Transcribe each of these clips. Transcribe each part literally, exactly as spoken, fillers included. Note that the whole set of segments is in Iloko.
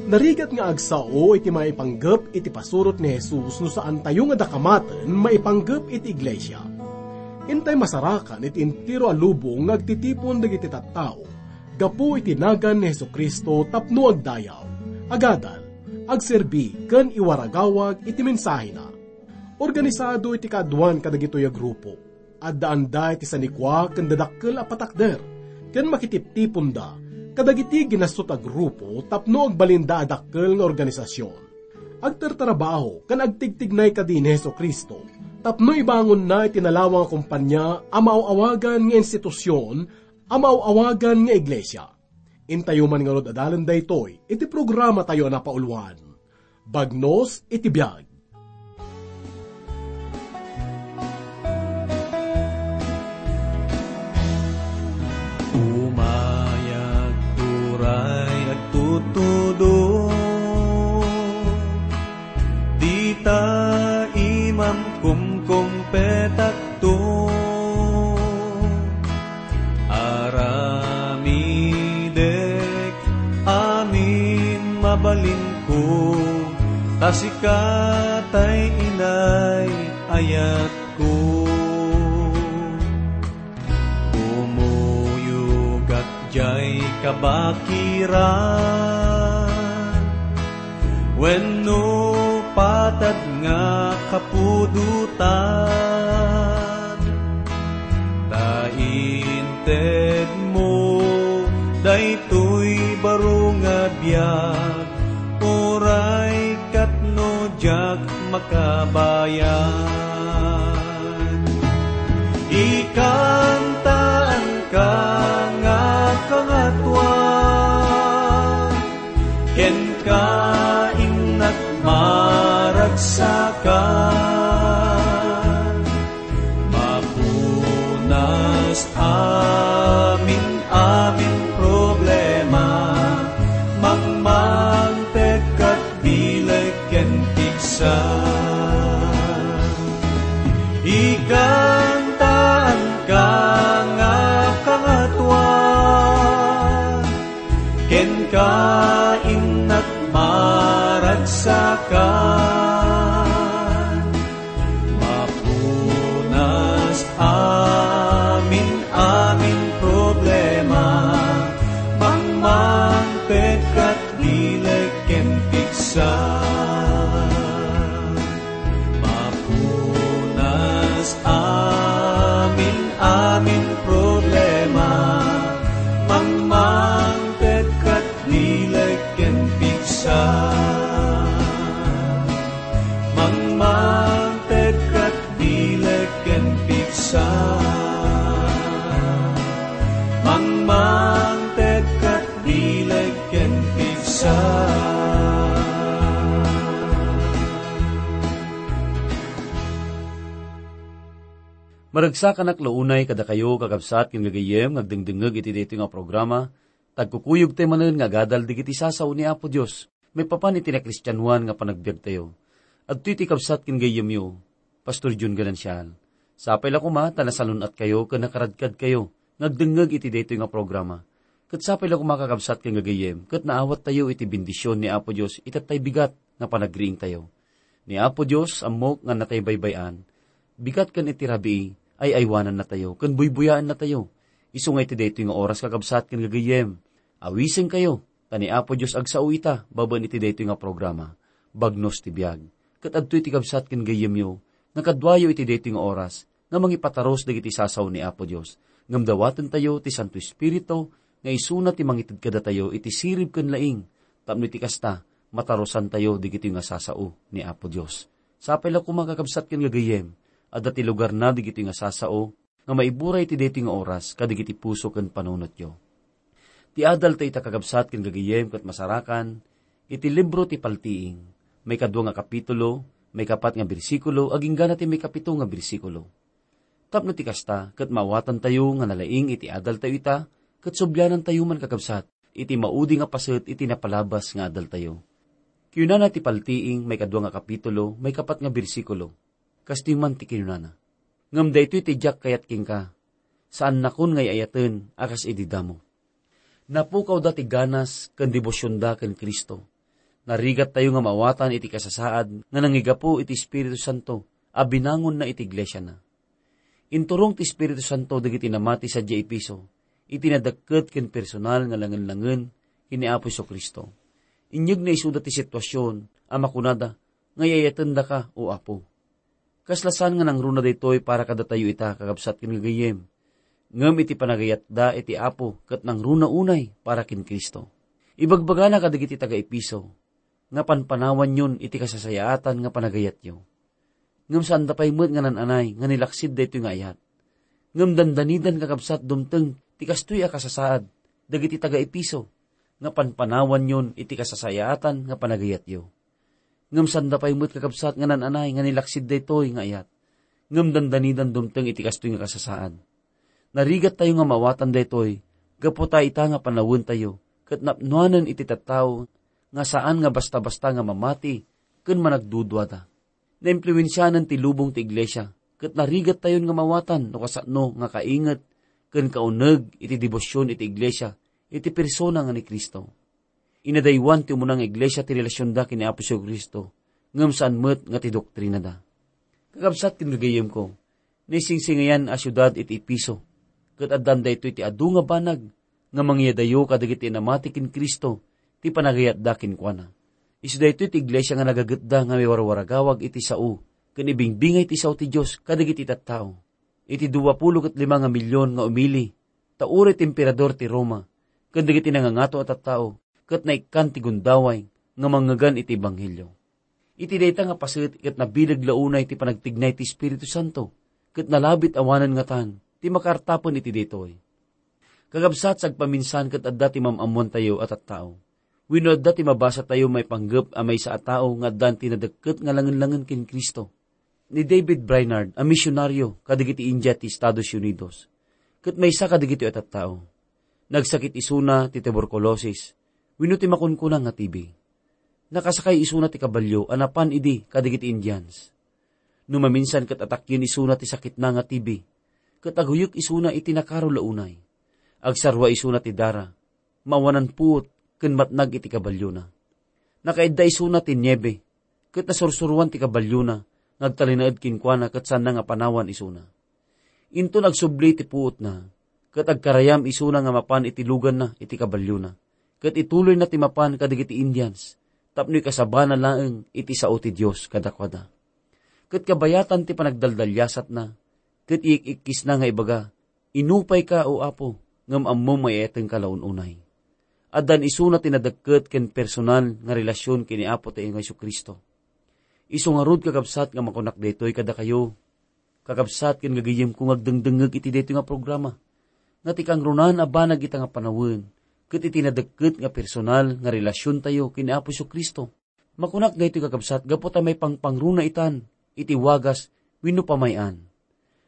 Narigat nga agsao iti maipanggep iti pasurot ni Jesus no saantayo nga dakamaten maipanggep iti iglesia. Intay masarakan iti entero a lubong nga agtitipon dagiti tattao gapu iti nagan ni Jesu-Cristo tapno agdayaw, agadal, agserbi, ken iwaragawag iti mensahena. Organisado iti kaaduan kadagitoy a grupo. Addaanda iti sanikua ken dadakkel a patakder, ken makitiptiponda kadagiti ginastot a grupo tapno agbalinda a dakkel nga organisasion. Agtartarabaho ken agtigtignay kadi ni Jesu-Cristo tapno ibangonna iti nalawang a kompania a maaw-awagan nga institusion a maaw-awagan nga iglesia. Intayo man ngarud adalen daytoy iti programatayo a napauluan, Bagnos iti Biag. Umayag turay agtutudong, dita imam kumkumpetakto. Aramidek amin mabalinko, ta sika tay inay ayatko. Kumuyogak diay kabakiran wenno patad nga kapudotan, ta intedmo daytoy baro nga biag, uray ket no diak makabayag. Ikantaanka nga Kangatoan, kenka innak maragsakan. Mapunas amin-amin problema, mangmangpet ket bileg ken pigsa. Ikantaanka nga Kangatoan, kenka innak maragsakan. Mapunas amin-amin problema, mangmangpet ket bileg ken pigsa. Mapunas amin-amin problema, mangmangpet ket bileg ken pigsa. Mangmangpet ket bileg ken pigsa. Mangmangpet ket bileg ken pigsa. Maragsakanak la unay kadakayo, kakabsat ken gagayyem, nga agdengdengngeg iti daytoy nga programa, ta agkukuyogtayo manen nga agadal dagiti sasao ni Apo Dios maipapan iti nakristianoan nga panagbiagtayo. Adtoy ti kabsat ken gayyemyo, Pastor Jun Ganancial. Sapay la koma ta nasalun-atkayo ken nakaradkadkayo nga agdengngeg iti daytoy nga programa. Ket sapay la koma, kakabsat ken gagayyem, ket naawattayo iti bendision ni Apo Dios iti tay bigat nga panagriingtayo. Ni Apo Dios, ammok nga natay baybay-an, bigat ken iti rabii, ay-aywanannatayo ken buybuyaennatayo. Isu nga iti daytoy nga oras, kakabsat ken gagayyem, awisenkayo, ta ni Apo Dios agsao ita babaen iti daytoy nga programa, Bagnos ti Biag. Ket adtoy ti kabsat ken gayyemyo nga kaduayo iti daytoy nga oras nga mangipatarus dagiti sasao ni Apo Dios. Ngem dawatentayo ti Santo Espiritu nga isuna ti mangited kadatayo iti sirib ken laing, tapno iti kasta, matarusantayo dagitoy nga sasao ni Apo Dios. Sapay la koma, kakabsat ken gagayyem, adda ti lugarna dagitoy nga sasao nga maiburay iti daytoy nga oras kadagiti puso ken panunotyo. Ti adaltayo ita, kakabsat ken gagayyem, ket masarakan iti libro ti Paltiing, maikadua nga kapitulo, maikapat nga bersikulo, agingga na ti maikapito nga bersikulo. Tapno ti kasta, ket maawatantayo nga nalaing iti adaltayo ita, ket sublianantayo man, kakabsat, iti maudi nga paset iti napalabas nga adaltayo. Kinunana ti Paltiing, maikadua nga kapitulo, maikapat nga bersikulo, kastoy man ti kinunana, "Ngem daytoy ti diak kayat kenka, saannakon nga ay-ayaten a kas idi damo." Napukawda ti ganas ken debosionda ken Cristo. Narigattayo nga maawatan iti kasasaad nga nangigapu iti Espiritu Santo a binangonna iti iglesiana. Inturong ti Espiritu Santo dagiti namati sadiay Efeso iti nadakket ken personal nga langen-langen ken ni Apo Jesu-Cristo. Inyegna isuda ti situasion a makunada nga iyayatendaka, O Apo. Kasla saan nga nangruna daytoy para kadatayo ita, kakabsat ken gagayyem. Ngem iti panagayatda iti Apo ket nangruna unay para ken Cristo. Ibagbagana kadagiti taga-Efeso nga panpanawanyon iti kasasayaatan nga panagayatyo. Ngem saanda pay met nga nan-anay nga nilaksid daytoy nga ayat. Ngem dandanidan, kakabsat, dumteng ti kastoy a kasasaad dagiti taga-Efeso nga panpanawanyon iti kasasayaatan nga panagayatyo. Ngem saanda pay met, kakabsat, nga nan-anay nga nilaksid daytoy nga ayat. Ngem dandanidan dumteng iti kastoy nga kasasaad. Narigattayo nga maawatan daytoy gapu ta ita nga panawentayo ket napnoanen iti tattao nga saan nga basta-basta nga mamati ken managduduada. Naimpluensianan ti lubong ti iglesia, ket narigattayon nga maawatan no kasano nga kainget ken kauneg iti debosion iti iglesia iti persona nga ni Cristo. Inadaywan ti umuna nga iglesia ti relasionda ken ni Apo Jesu-Cristo, ngem saan met nga ti doktrinada. Kakabsat ken gagayyemko, naisingsingayan a siudad iti Efeso, ket addan daytoy ti adu nga banag nga mangiyadayo kadagiti namati ken Cristo ti panagayatda kenkuana. Isu daytoy ti iglesia nga nagagetda nga maiwarwaragawag iti sao ken ibingbingay ti sao ti Dios kadagiti tattao. Iti dua pulo ket lima nga milion nga umili, ta uray ti emperador ti Roma ken dagiti nangangato a tattao ket naikkan ti gundaway nga mangngegan iti ebanghelio. Iti dayta nga paset ket nabileg la unay ti panagtignay ti Espiritu Santo, ket nalabit awanen ngatan ti makaartapen iti daytoy. Kakabsat, sagpaminsan ket adda ti mam-ammoantayo a tattao wenno adda ti mabasatayo maipanggep a maysa a tao nga addan ti nadekket nga langen-langen ken Cristo. Ni David Brainerd a misionaryo kadagiti India ti Estados Unidos, ket maysa kadagitoy a tattao. Nagsakit isuna ti tuberculosis wenno ti makunkuna nga T B. Nakasakay isuna ti kabalio a napan idi kadagiti Indians. No maminsan ket atakken isuna ti sakitna nga T B, ket aguyek isuna iti nakaro la unay. Agsarua isuna ti dara, maawanan puot ken matnag iti kabaliona. Nakaidda isuna ti niebe, ket nasursuroan ti kabaliona nga agtalinaed kenkuana ket saanna nga panawan isuna. Inton agsubli ti puotna, ket agkarayam isuna nga mapan iti luganna iti kabaliona, ket ituloyna ti mapan kadagiti Indians tapno ikasabana laeng iti sao ti Dios kadakuada. Ket kabayatan ti panagdaldaliasatna, ket iik-ikkisna nga ibaga, "Inupayka, O Apo, ngem ammom nga iyayatenka la un-unay." Addan isuna ti nadekket ken personal nga relasion ken ni Apotayo nga Jesu-Cristo. Isu ngarud, kakabsat, nga makunak daytoy kadakayo, kakabsat ken gagayyemko nga agdengdengngeg iti daytoy nga programa, nga ti kangrunaan a banag ita nga panawen ket iti nadekket nga personal nga relasiontayo ken ni Apo Jesu-Cristo. Makunak daytoy, kakabsat, gapu ta maipangpangruna itan iti wagas wenno pamay-an.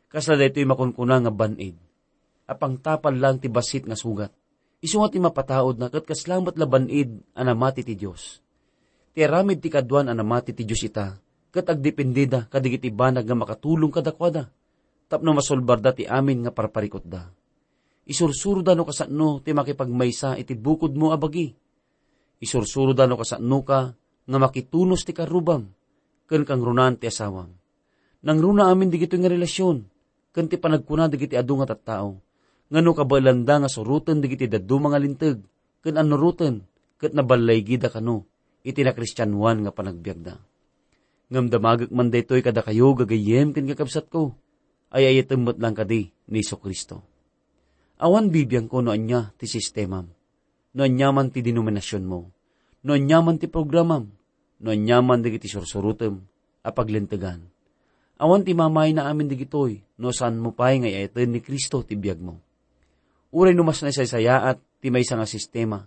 Kasla daytoy makunkuna nga ban-id a pangtapal laeng ti bassit nga sugat. Isu nga ti mapataudna ket kasla met la ban-id a namati ti Dios. Ti aramid ti kaduan a namati ti Dios ita ket agdependeda kadagiti banag nga makatulong kadakuada tapno masulbarda ti amin nga parparikutda. Isursuroda no kasano ti makipagmaysa iti bukodmo a bagi. Isursuroda no kasanoka nga makitunos ti karrubam ken kangrunaan ti asawam. Nangruna amin dagitoy nga relasion ken ti panagkuna dagiti adu nga tattao nga no kabaelanda nga suroten dagiti dadduma nga linteg ken annuroten ket naballaygida kano iti nakristianoan nga panagbiagda. Ngem damagek man daytoy kadakayo, gagayyem ken kakabsatko, ay-ayatem met laeng kadi ni Jesu-Cristo. Awan bibiangko no ania ti sistemam, no aniaman ti denominasionmo, no aniaman ti programam, no aniaman dagiti sursurotem a paglintegan. Awan ti mamayna amin dagitoy no saanmo pay nga iyayaten ni Cristo ti biagmo. Uray no mas naisaysayaat ti maysa nga sistema,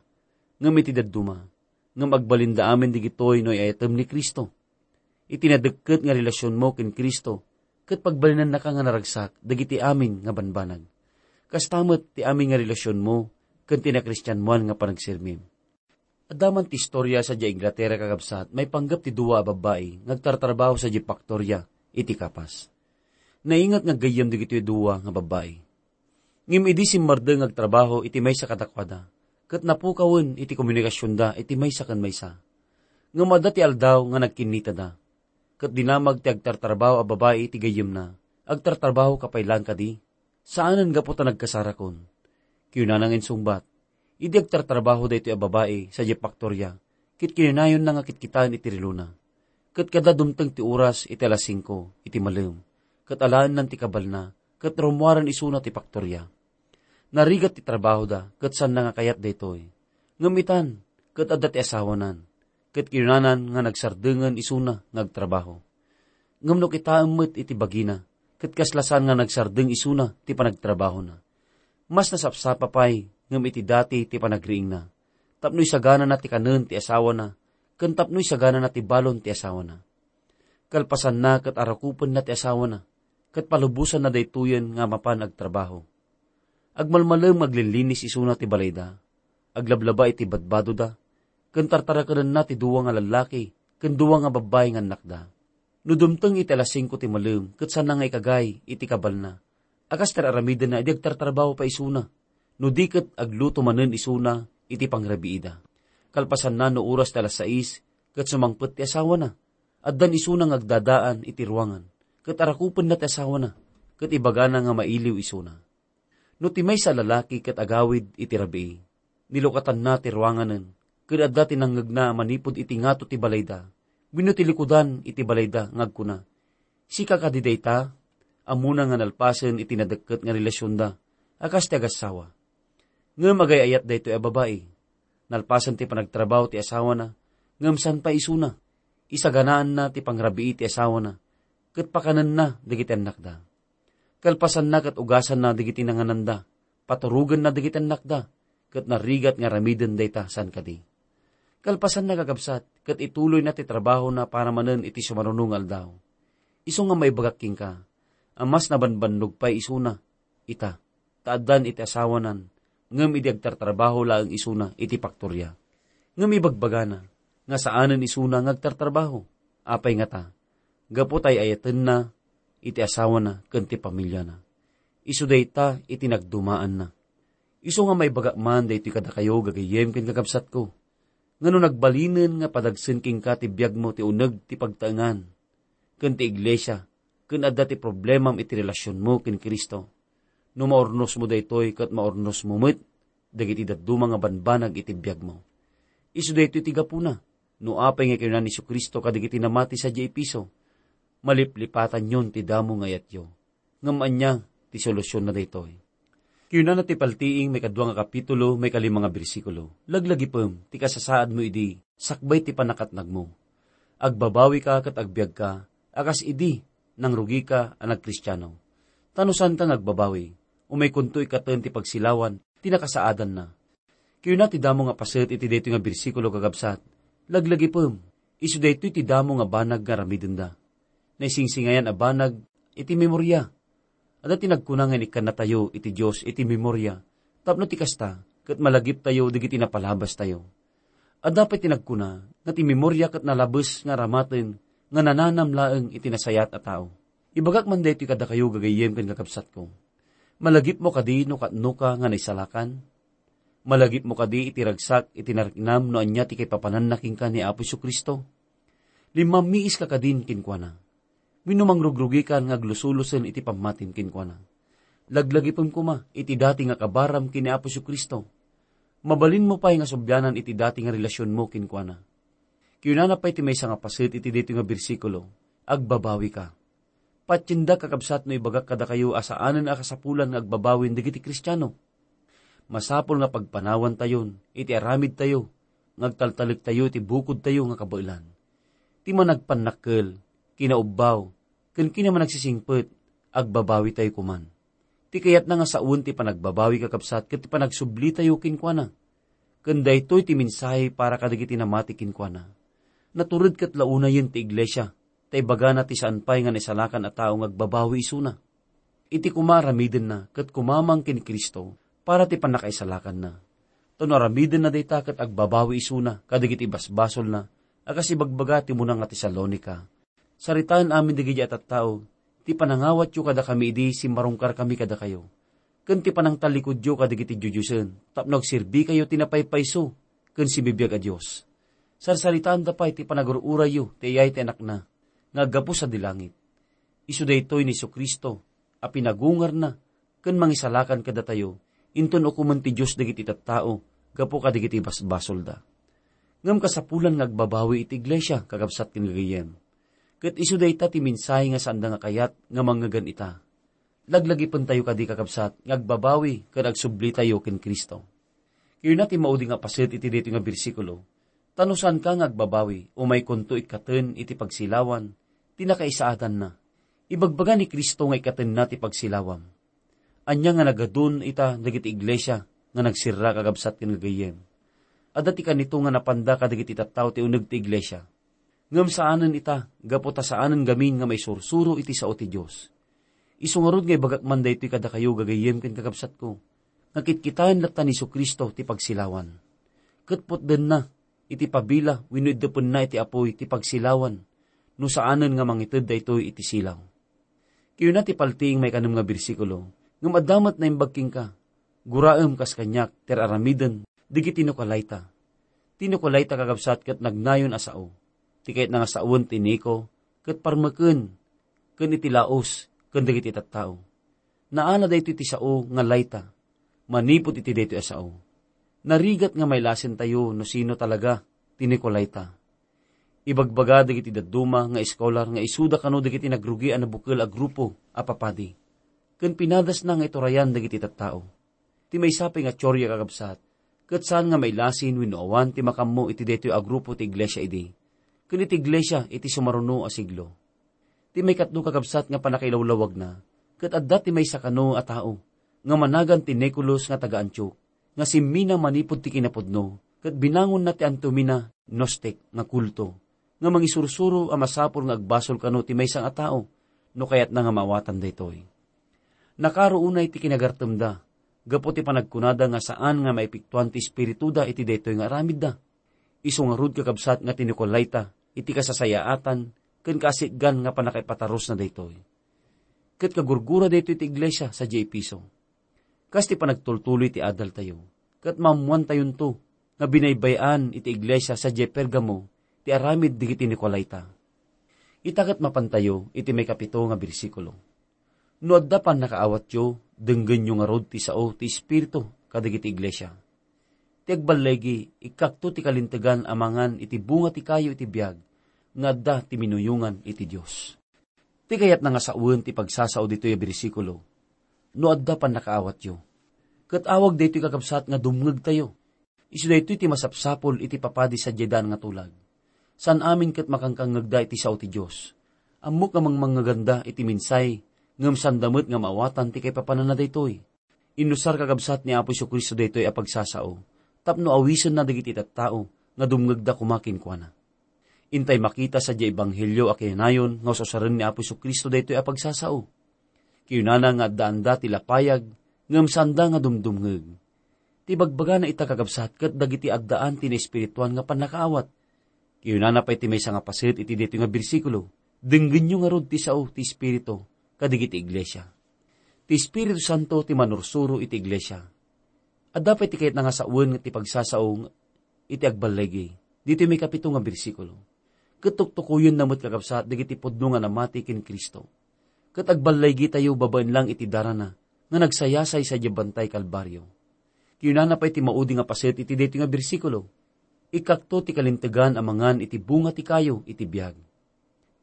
ngem iti dadduma, ngem agbalinda amin dagitoy no iyayatem ni Cristo. Iti nadekket nga relasionmo ken Cristo, ket pagbalinannaka nga naragsak dagiti amin nga banbanag. Kasta met ti amin nga relasionmo ken ti nakristianoan nga panagsermim. Adda man ti istoria sadiay Inglaterra, kakabsat, maipanggep ti dua a babbai nga agtartrabaho sadiay faktoria iti kapas. Nainget nga aggayyem dagitoy dua nga babbai. Ngem idi simmardeng nga agtrabaho iti maysa kadakuada, ket napukawen iti komunikasionda iti maysa ken maysa. Ngem adda ti aldaw nga nagkinnitada, ket dinamag ti agtartrabaho a babai iti gayyemna. "Agtartrabaho ka pay laeng kadi? Saanen gapu ta nagkasarakon." Kinunana nga insungbat, "Idi agtartrabaho daytoy a babai sadiay paktoria, ket kinunayonna nga kitkitaen iti relona. Ket kada dumteng ti oras iti alas singko iti malem, ket alaennan ti kabalna, ket rummuaren isuna ti paktoria." Narigat ti trabahoda, ket saanna nga kayat daytoy. Ngem itan, ket adda ti asawanan, ket kinunanan nga nagsardengen isuna nga agtrabaho. Ngem no kitaem met iti bagina, ket kasla saan nga nagsardeng isuna ti panagtrabahona. Mas nasapsapa pay ngem iti dati ti panagriingna, tapno isaganana ti kanen ti asawana, ken tapno isaganana ti balon ti asawana. Kalpasanna, ket arakupenna ti asawana, ket palubosanna daytoyen nga mapan agtrabaho. Agmalmalem nga aglinlinis isuna ti balayda, aglablaba iti badbadoda, ken tartarakenenna ti dua nga lallaki ken dua nga babbai nga annakda. No dumteng iti alas singko ti malem ket saanna nga ikagay iti kabalna, a kas ti ar-aramidenna idi agtartrabaho pay isuna, no di ket agluto manen isuna iti pangrabiida. Kalpasanna, no oras ti alas sais ket sumangpet ti asawana, addan isuna nga agdadaan iti ruangan, ket arakupenna ti asawana, ket ibagana nga mailiw isuna. No ti maysa a lalaki ket agawid iti rabii, nilukatanna ti ruanganen, ket adda ti nangngegna manipud iti ngato ti balayda wenno ti likudan iti balayda nga agkuna, "Sika kadi dayta?" Ammona nga nalpasen iti nadekket nga relasionda a kas ti agassawa. Ngem agay-ayat daytoy a babai. Nalpasen ti panagtrabaho ti asawana, ngem saan pay isuna. Isaganaanna ti pangrabii ti asawana, ket pakanenna dagiti annakda. Kalpasanna, ket ugasanna dagiti nangananda, paturogenna dagiti annakda, ket narigat nga aramiden dayta saan kadi. Kalpasanna, kakabsat, ket ituloyna ti trabahona para manen iti sumaruno nga aldaw. Isu nga maibagak kenka, a mas nabanbannog pay isuna ita, ta addan iti asawanan, ngem idi agtartrabaho laeng isuna iti paktoria. Ngem ibagbagana nga saanen isuna nga agtartrabaho. Apay ngata? Gapu ta ay-ayatenna iti asawana ken ti pamiliana. Isu dayta iti nagdumaanna. Isu nga maibagak man daytoy kadakayo, gagayyem ken kakabsatko, nga no nagbalinen nga padagsen kenka ti biagmo ti uneg ti pagtaengan ken ti iglesia, ken adda ti problemam iti relasionmo ken Cristo, no maurnosmo daytoy, ket maurnosmo met dagiti dadduma nga banbanag iti biagmo. Isu daytoy ti gapuna, no apay nga kinuna ni Jesu-Cristo kadagiti namati sadiay Efeso, "Maliplipatanyon ti damo nga ayatyo." Ngem ania ti solutionna daytoy? Kinunana ti paltiing maikadua nga kapitulo, maikalima nga bersikulo, "Laglagipem ti kasasaadmo idi sakbay ti pannakatnagmo. Agbabawika ket agbiagka a kas idi nangrugika a nagkristiano. Ta no saanka nga agbabawi, umaykonto ikkaten ti pagsilawan ti nakasaadanna." Kinuna ti damo nga paset iti daytoy nga bersikulo, kakabsat, "Laglagipem, isu daytoy ti damo nga banag nga aramidenda." Naisingsingayan a banag iti memoria. Adda ti nagkuna nga inikkannatayo iti Dios iti memoria, tapno ti kasta, ket malagiptayo dagiti napalabastayo. Adda pay ti nagkuna nga ti memoria ket nalabes nga aramaten nga nananam laeng iti nasayaat a tao. Ibagak man daytoy kadakayo, gagayyem ken kakabsatko. Malagipmo kadi no katnoka nga naisalakan? Malagipmo kadi iti ragsak iti nariknam no ania ti kaipapananna kenka ni Apo Jesu-Cristo? Limmammiiska kadin kenkuana? Wenno mangrugrugikan nga aglusulusen iti pammatim kenkuana? Laglagipem koma iti dati nga kabaram ken ni Apo Jesu-Cristo. Mabalinmo pay nga sublianan iti dati nga relasionmo kenkuana. Kinunana pay ti maysa nga paset iti daytoy nga bersikulo, "Agbabawika." Patiendak, kakabsat, no ibagak kadakayo a saanen a kasapulan nga agbabawin dagiti Kristiano. Masapul nga pagpanawantayon iti aramidtayo nga agtaltalektayo iti bukodtayo nga kabaelan. Ti managpannakkel, kinaubbaw, ken kinamanagsisingpet, agbabawitayo koman. Ti kayatna nga sawen ti panagbabawi, kakabsat, ket ti panagsublitayo kenkuana. Ken daytoy ti mensahe para kadagiti namati kenkuana. Natured ket launayen ti iglesia, ta ibagana ti saan pay nga naisalakan a tao nga agbabawi isuna. Iti koma aramidenna ket kumamang ken Cristo para ti pannakaisalakanna. Ta no aramidenna dayta ket agbabawi isuna kadagiti basbasolna a kas ibagbaga ti umuna nga Tesalonica, "Saritaen amin dagiti a tattao ti panangawatyo kadakami idi simmarungkarkami kadakayo, ken ti panangtallikudyo kadagiti diodiosen tapno agserbikayo ti napaypayso ken sibibiag a Dios." Sarsaritaanda pay ti panagur-urayyo ti ayay ti Anakna nga aggapu sadi langit. Isu daytoy ni Jesu-Cristo a pinagungarna ken mangisalakan kadatayo, inton ukomen ti Dios dagiti tattao gapu kadagiti basbasolda. Ngem kasapulan nga agbabawi iti iglesia, kakabsat ken gagayyem. Ket isu dayta ti mensahe nga saanda nga kayat nga mangngegen ita. Laglagipentayo kadi, kakabsat, nga agbabawi ken agsublitayo ken Cristo. Kayatna ti maudi nga paset iti daytoy nga bersikulo, ta no saanka nga agbabawi, umaykonto ikkaten iti pagsilawan ti nakaisaadanna. Ibagbaga ni Cristo nga ikkatenna ti pagsilawam. Ania nga nagadun ita dagiti iglesia nga nagsirra, kakabsat ken gagayyem? Adda ti kanito nga napanda kadagiti tattao ti uneg ti iglesia. Ngem saanen ita, gapu ta saanen gamin nga maisursuro iti sao ti Dios. Isu ngarud nga ibagak man daytoy kadakayo, gagayyem ken kakabsatko, nga kitkitaen latta ni Jesu-Cristo ti pagsilawan. Ket putdenna iti pabila wenno iddepenna iti apuy ti pagsilawan no saanen nga mangited daytoy iti silaw. Kayatna ti paltiing maikanem nga bersikulo, ngem adda met naimbag kenka. Guraem kas kaniak ti ar-aramiden dagiti Nicolaita. Ti Nicolaita, kakabsat, ket nagnayon a sao. Ti kayatna nga sawen ti Nico ket parmeken ken iti Laos ken dagiti tattao. Naala daytoy ti sao nga Laita manipud iti daytoy a sao. Narigat nga mailasentayo no sino talaga ti Nicolaita. Ibagbaga dagiti dadduma nga eskolar nga isuda kano dagiti nagrugi a nabukel a grupo a papadi, ken pinadasna nga iturayan dagiti tattao. Ti maysa pay nga teoria, kakabsat, ket saan nga mailasin wenno awan ti makaammo iti daytoy a grupo ti iglesia idi, ken iti iglesia iti sumaruno a siglo. Ti maikatlo, kakabsat, nga pannakailawlawagna, ket adda ti maysa kano a tao nga managan ti Nicolas nga taga-Antiok, nga simmina manipud ti kinapudno, ket binangonna ti antiomina Gnostic nga kulto, nga mangisursuro a masapul nga agbasol kano ti maysa nga tao no kayatna nga maawatan daytoy. Nakaro unay ti kinagartemda gapu ti panagkunada nga saan nga maipiktuan ti espirituda iti daytoy nga aramidda. Isu ngarud, kakabsat, nga ti Nicolaita iti kasasayaatan ken kaasitgan nga pannakaipatarusna daytoy. Ket kagurgura daytoy ti iglesia sadiay Efeso. Kas ti panagtultuloy ti adaltayo, ket maammoantayonto nga binaybay-an iti iglesia sadiay Pergamo ti aramid dagiti Nicolaita. Ita ket mapantayo iti maikapito nga bersikulo. No adda pannakaawatyo, denggenyo ngarud ti sao ti Espiritu kadagiti iglesia. Ti agballigi, ikkakto ti kalintegan a mangan iti bunga ti kayo iti biag nga adda ti minuyongan iti Dios. Ti kayatna nga sawen ti pagsasao ditoy a bersikulo, no adda pannakaawatyo. Ket awag daytoy, kakabsat, nga dumngegtayo. Isu daytoy ti masapsapul iti papadi sadiay daan nga tulag. Saan amin ket makankangngegda iti sao ti Dios. Ammok nga mangmangngeganda iti mensahe, ngem sanda met nga maawatan ti kaipapananna daytoy. Inusar, kakabsat, ni Apo Jesu-Cristo daytoy a pagsasao tapno awisenna dagiti tattao nga dumngegda koma kenkuana. Intay makita sadiay ebanghelio a kinayon nga ususaren ni Apo Jesu-Cristo daytoy a pagsasao. Kinunana nga addaanda ti lapayag ngem saanda nga dumdumngeg. Ti bagbagana ita, kakabsat, ket dagiti addaan ti naespirituan nga pannakaawat. Kinunana pay ti maysa nga paset iti daytoy nga bersikulo, "Denggenyo ngarud ti sao ti Espiritu kadagiti iglesia." Ti Espiritu Santo ti manursuro iti iglesia. Adda pay ti kayatna nga sawen ti pagsasao iti agballigi, ditoy maikapito nga bersikulo. Ket tuktukoyenna met, kakabsat, dagiti pudno nga namati ken Cristo. Ket agballigitayo babaen lang iti darana nga nagsayasay sadiay bantay Kalbario. Kinunana pay ti maudi nga paset iti daytoy nga bersikulo, "Ikkakto ti kalintegan a mangan iti bunga ti kayo iti biag."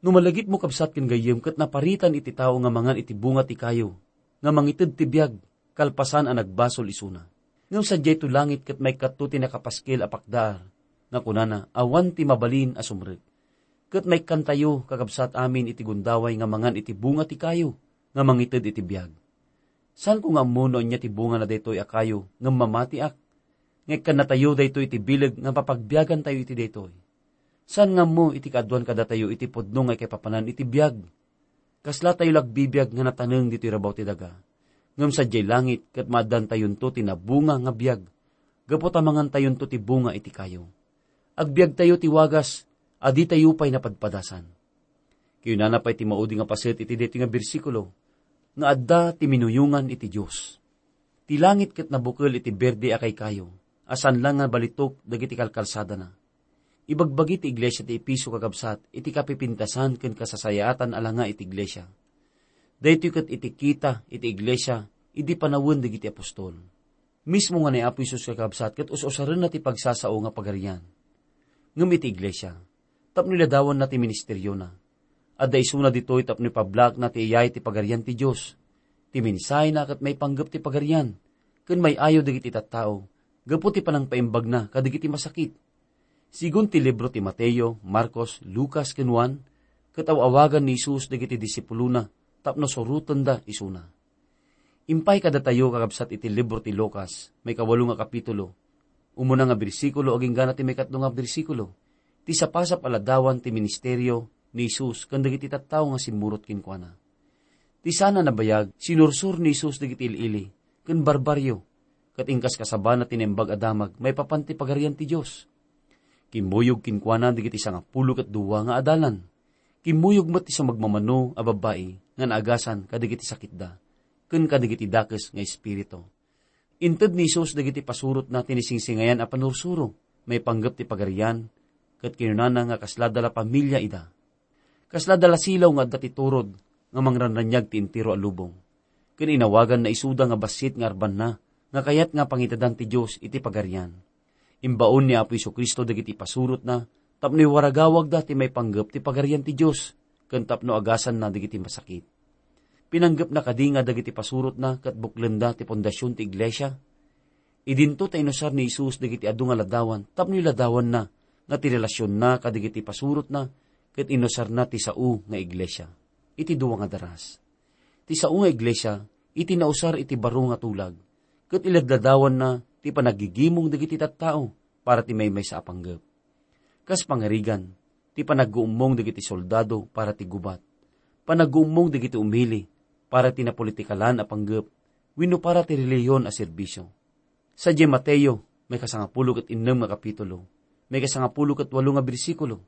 No malagipmo, kabsat ken gayyem, ket naparitan iti tao nga mangan iti bunga ti kayo nga mangited ti biag kalpasan a nagbasol isuna. Ngem sadiay to langit ket maikkato ti nakapaskel a pakdaar nga kunana, "Awan ti mabalin a sumrek." Ket maikkantayo, kakabsat amin, iti gundaway nga mangan iti bunga ti kayo nga mangited iti biag. Saanko nga ammo no ania ti bungana daytoy a kayo ngem mamatiak, nga ikkannatayo daytoy iti bileg nga mapagbiagantayo iti daytoy. Saan nga ammo iti kaaduan kadatayo iti pudno nga ikaipapanan iti biag. Kaslatayo la agbibiag nga nataneng ditoy rabaw ti daga. Ngem sadiay langit ket maaddantayonto ti nabunga nga biag, gapu ta mangantayonto ti bunga iti kayo. Agbiagtayo ti wagas a ditayo pay napadpadasan. Kinunana pay ti maudi nga paset iti daytoy nga bersikulo, nga adda ti minuyongan iti Dios. Ti langit ket nabukel iti berde a kaykayo, a saan la nga balitok dagiti kalkalsadana. Ibagbagi ti iglesia ti Efeso, kakabsat, iti kapipintasan ken kasasayaatan a langa iti iglesia. Daytoy ket iti kita iti iglesia idi panawen dagiti apostol. Mismo nga ni Apo Jesus, kakabsat, ket us-usarenna ti pagsasao nga pagarian. Ngem iti iglesia, tapno iladawanna ti ministeriona, adda isuna ditoy tapno ipablakna ti iyay ti pagarian ti Dios. Ti mensahena ket maipanggep ti pagarian, ken may-ayo dagiti tattao gapu ti panangpaimbagna kadagiti masakit. Sigun ti libro ti Mateo, Marcos, Lucas, ken Juan, ket aw-awagan ni Jesus dagiti disipulona tapno surotenda isuna. Impay kadatayo, kakabsat, iti libro ti Lucas, maikawalo nga kapitulo, umuna nga bersikulo agingga na ti maikatlo nga bersikulo, ti sapasap a ladawan ti ministerio ni Jesus ken dagiti tattao nga simmurot kenkuana. Ti saan a nabayag, sinursor ni Jesus dagiti il-ili ken barbarrio, ket inkaskasabana ti Naimbag a Damag maipapan ti Pagarian ti Dios. Kimmuyog kenkuana dagiti sangapulo ket dua nga adalan. Kimmuyog met ti sumagmamano a babbai nga naagasan kadagiti sakitda ken kadagiti dakes nga espiritu. Inted ni Jesus dagiti pasurotna ti nisingsingayan a panursuro maipanggep ti Pagarian, ket kinunana nga kasla da la pamilia ida. Kasla da la silaw nga adda ti turod nga mangranraniag ti entero a lubong. Ken inawaganna isuda nga bassit nga arbanna nga kayat nga pangitedan ti Dios iti Pagarian. Imbaon ni Apo Jesu-Cristo dagiti pasurotna tapno iwaragawagda ti maipanggep ti Pagarian ti Dios ken tapno agasanna dagiti masakit. Pinanggepna kadi nga dagiti pasurotna ket buklenda ti fondasion ti iglesia? Idinto ta inusar ni Jesus dagiti adu nga ladawan tapno iladawanna nga ti relasionna kadagiti pasurotna ket inusarna ti sao nga iglesia. Iti dua nga daras, ti sao nga iglesia iti nausar iti baro nga tulag ket iladladawanna ti panaggigimong dagiti tattao para ti maymaysa a panggep. Kas pangarigan, ti panagguummong dagiti soldado para ti gubat, panagguummong dagiti umili para ti napolitikalan a panggep wenno para ti relihiyon a serbisio. Sadiay Mateo, maikasangapulo ket innem nga kapitulo, maikasangapulo ket walo nga bersikulo,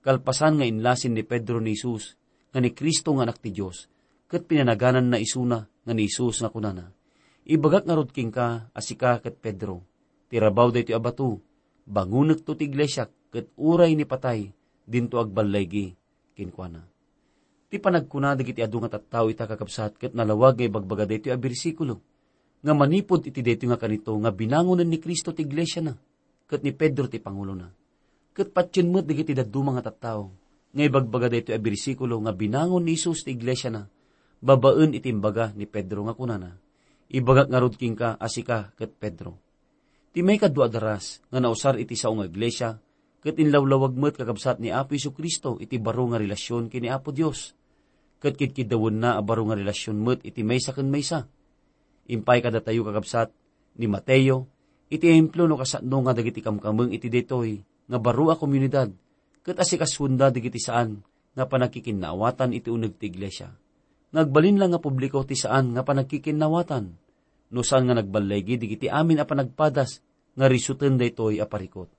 kalpasan nga inlasin ni Pedro ni Jesus nga ni Cristo nga Anak ti Dios, ket pinanagananna isuna nga ni Jesus nga kunana, "Ibagak ngarud kenka a sika ket Pedro, ti rabaw daytoy a bato, bangonekto ti iglesiak, ket uray ni patay, dinto agballaygi kenkuana." Ti panagkuna dagiti adu nga tattao ita, kakabsat, ket nalawag nga ibagbaga daytoy a bersikulo, nga manipud iti daytoy nga kanito nga binangonen ni Cristo ti iglesiana, ket ni Pedro ti pangulona. Ket patien met dagiti dadduma nga tattao nga ibagbaga daytoy a bersikulo nga binangon ni Jesus ti iglesiana babaen iti imbaga ni Pedro nga kunana, "Ibagak ngarud kenka a sika ket Pedro." Ti maikadua a daras nga nausar iti sao nga iglesia ket inlawlawag met, kakabsat, ni Apo Jesu-Cristo iti baro nga relasion ken ni Apo Dios, ket kidkiddawenna a baro nga relasion met iti maysa ken maysa. Impay kadatayo, kakabsat, ni Mateo iti ehemplo no kasano nga dagiti kamkameng iti daytoy nga baro a komunidad ket asikasuenda dagiti saan nga panagkikinnaawatan iti uneg ti iglesia. Nga agbalin la nga publiko ti saan nga panagkikinnaawatan, no saan nga nagballaygi dagiti amin a panagpadas nga risuten daytoy a parikut.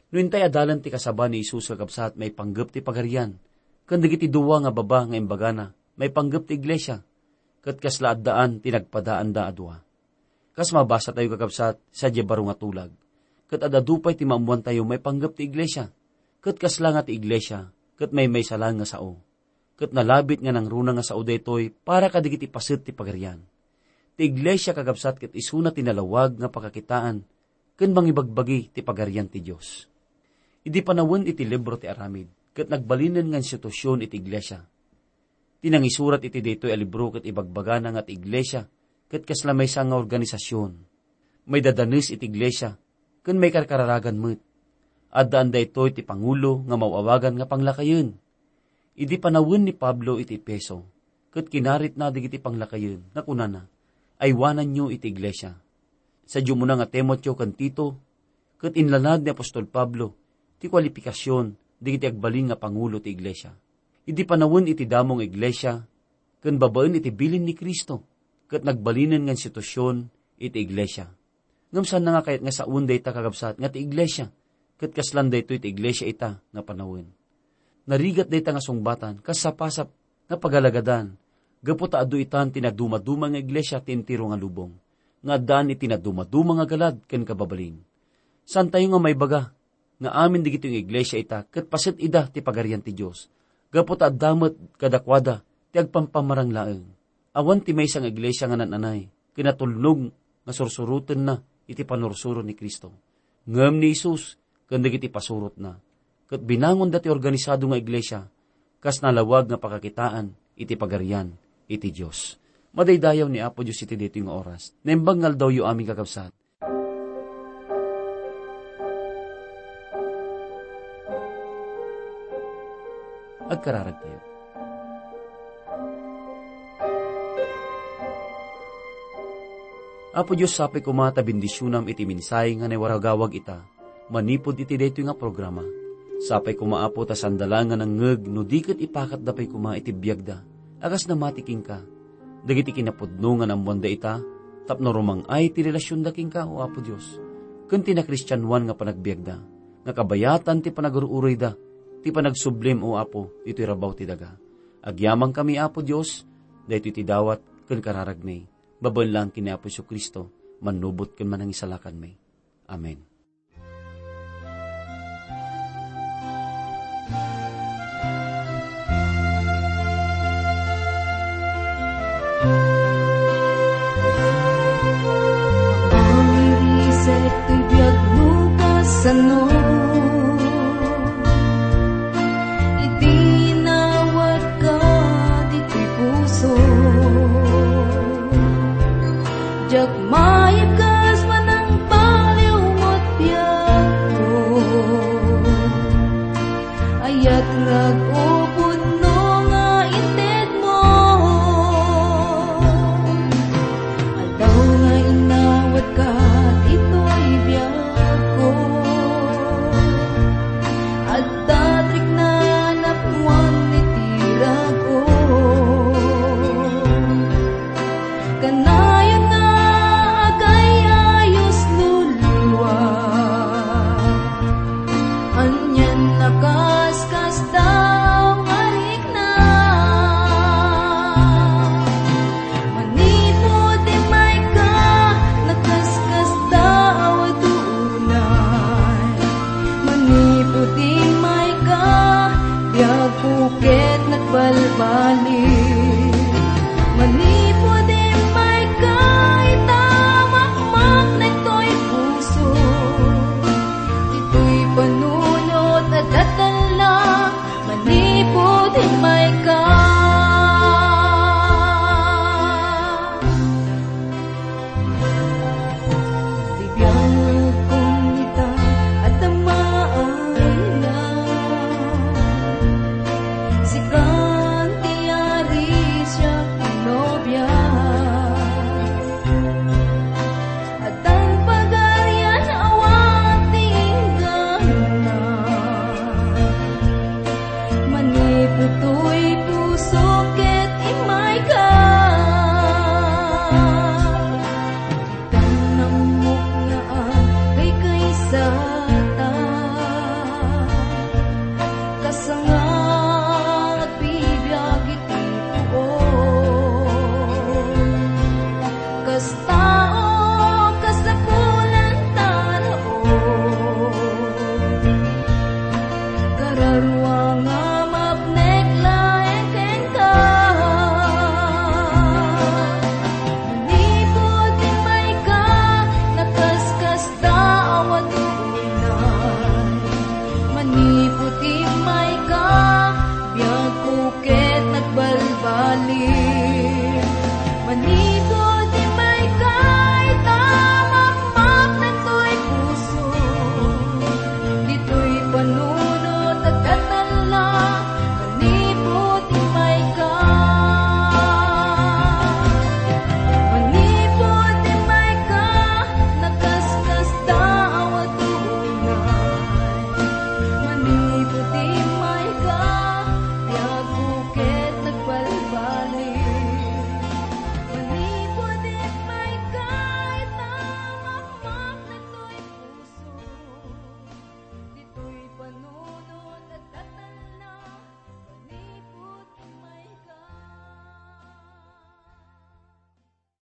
No intay adalan ti kasaba ni Jesus, kakabsat, maipanggep ti pagarian, ken dagiti dua nga baba nga imbagana maipanggep ti iglesia, ket kasla addaan ti nagpadaanda a dua. Kas mabasatayo, kakabsat, sadiay baro nga tulag, ket ad-adu pay ti maammoantayo maipanggep ti iglesia, ket kasla nga ti iglesia ket maymaysa laeng nga sao, ket nalabit nga nangruna nga sao daytoy para kadagiti paset ti pagarian. Ti iglesia, kakabsat, ket isuna ti nalawag nga pakakitaan ken mangibagbagi ti pagarian ti Dios. Idi panawen iti libro ti Aramid, ket nagbalinen nga institusion iti iglesia. Ti nangisurat iti daytoy a libro ket ibagbagana nga ti iglesia ket kasla maysa nga organisasion. Maidadanes iti iglesia ken maikarkararagan met. Addaan daytoy ti pangulo nga maw-awagan nga panglakayen. Idi panawen ni Pablo iti Efeso, ket kinaritna dagiti panglakayen nga kunana, "Aywananyo iti iglesia." Sadiay umuna nga Timoteo ken Tito, ket inlanad ni apostol Pablo ti kualipikasion dagiti agbalin nga pangulo ti iglesia. Idi panawen iti damo nga iglesia, ken babaen iti bilin ni Cristo, ket nagbalinen nga institusion iti iglesia. Ngem saan nga kayat nga sawen dayta, kakabsat, nga ti iglesia, ket kaslan daytoy ti iglesia ita nga panawen. Narigat dayta nga sungbatan kas sapasap nga pagalagadan, gapu ta adu itan ti nadumaduma nga iglesia ti entero nga lubong, nga addaan iti nadumaduma nga galad ken kababalin. Saantayo nga maibaga nga amin dagitoy nga iglesia ita ket paset ida ti Pagarian ti Dios, gapu ta adda met kadakuada ti agpampamarang laeng. Awan ti maysa nga iglesia nga naan-anay ken natulnog nga sursurotenna iti pannursuro ni Cristo. Ngem ni Jesus ken dagiti pasurotna, ket binangonda ti organisado nga iglesia kas nalawag nga pakakitaan iti Pagarian iti Dios. Madaydayaw ni Apo Dios iti daytoy nga oras. Naimbag nga aldawyo amin, kakabsat. Agkararagtayo. Apo Dios, sapay koma ta bendisionam iti mensahe nga naiwaragawag ita manipud iti daytoy nga programa. Sapay koma, Apo, ta saanda laeng nga nangngeg no di ket ipakatda pay koma iti biagda a kas namati kenka. Dagiti kinapudno nga naammoanda ita tapno rumang-ay ti relasionda kenka, O Apo Dios, ken ti nakristianoan nga panagbiagda, nga kabayatan ti panagrururoyda ti panagsublim, O Apo, ditoy rabaw ti daga. Agyamankami, Apo Dios, daytoy ti dawat ken kararagmi. Babaen laeng ken ni Apo Jesu-Cristo, mannubot ken manangisalakanmi. Amen. Awirisek ti biag no kasano. Idi nawarka ditoy puso, diak